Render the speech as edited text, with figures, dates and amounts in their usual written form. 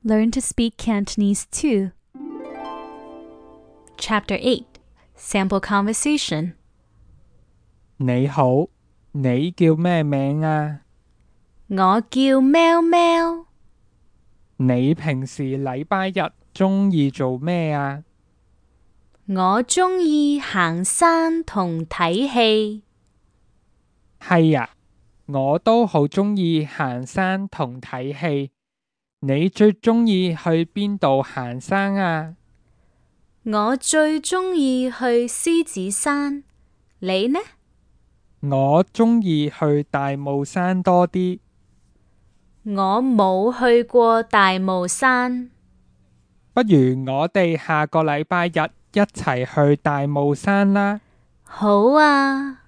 Learn to speak Cantonese too. Chapter 8. Sample Conversation. 你好，你叫咩名啊？我叫喵喵。你平時禮拜日鍾意做咩啊？我鍾意行山同睇戲。係呀，我都好鍾意行山同睇戲。你最鍾意去邊度行山啊？我最鍾意去獅子山，你呢？我鍾意去大霧山多啲。我冇去過大霧山。不如我哋下個禮拜日一齊去大霧山啦。好啊。